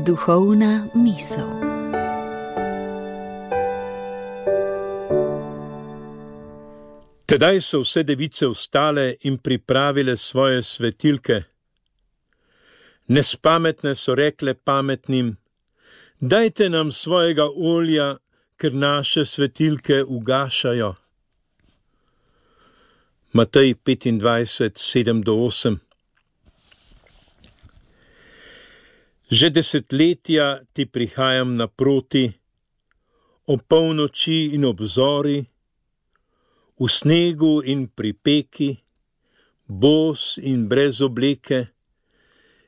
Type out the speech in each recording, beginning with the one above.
Duhovna misel. Tedaj so vse device vstale in pripravile svoje svetilke. Nespametne so rekle pametnim: dajte nam svojega olja, ker naše svetilke ugašajo. Matej 25, 7-8. Že desetletja ti prihajam naproti, ob polnoči in ob zori, v snegu in pri peki, bos in brez obleke,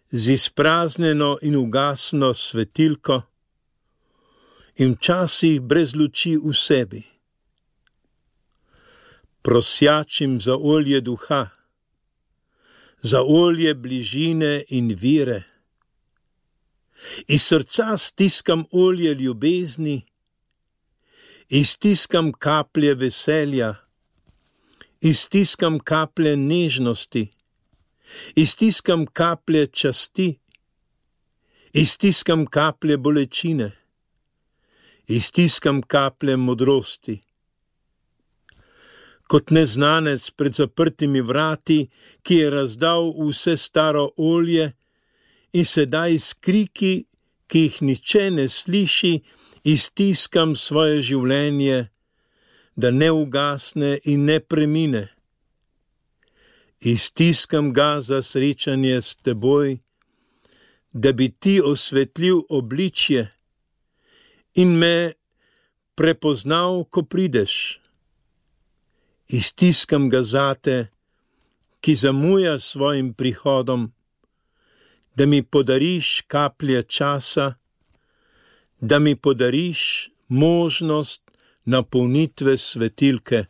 z izpraznjeno in ugasno svetilko in včasih brez luči v sebi. Prosjačim za olje duha, za olje bližine in vire. Iz srca stiskam olje ljubezni, iztiskam kaplje veselja, iztiskam kaplje nežnosti, iztiskam kaplje časti, iztiskam kaplje bolečine, iztiskam kaplje modrosti. Kot neznanec pred zaprtimi vrati, ki je razdal vse staro olje in sedaj s kriki, ki jih nihče ne sliši, iztiskam svoje življenje, da ne ugasne in ne premine. Iztiskam ga za srečanje s teboj, da bi ti osvetlil obličje in me prepoznal, ko prideš. Iztiskam ga zate, ki zamuja svojim prihodom, da mi podariš kaplje časa, da mi podariš možnost napolnitve svetilke.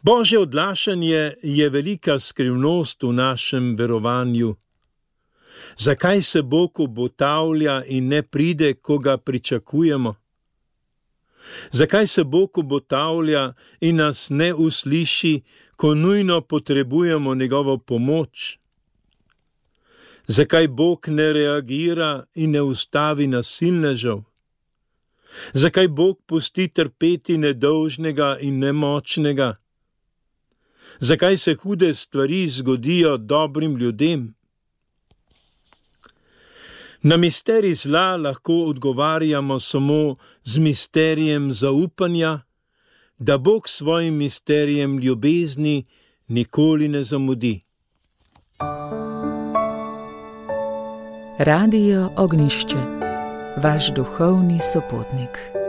Božje odlašanje je velika skrivnost v našem verovanju. Zakaj se Bog obotavlja in ne pride, ko ga pričakujemo? Zakaj se Bog obotavlja in nas ne usliši, ko nujno potrebujemo njegovo pomoč? Zakaj Bog ne reagira in ne ustavi nasilnežev? Zakaj Bog pusti trpeti nedolžnega in nemočnega? Zakaj se hude stvari zgodijo dobrim ljudem? Na misterij zla lahko odgovarjamo samo z misterijem zaupanja, da Bog svojim misterijem ljubezni nikoli ne zamudi. Radio Ognjišče, vaš duhovni sopotnik.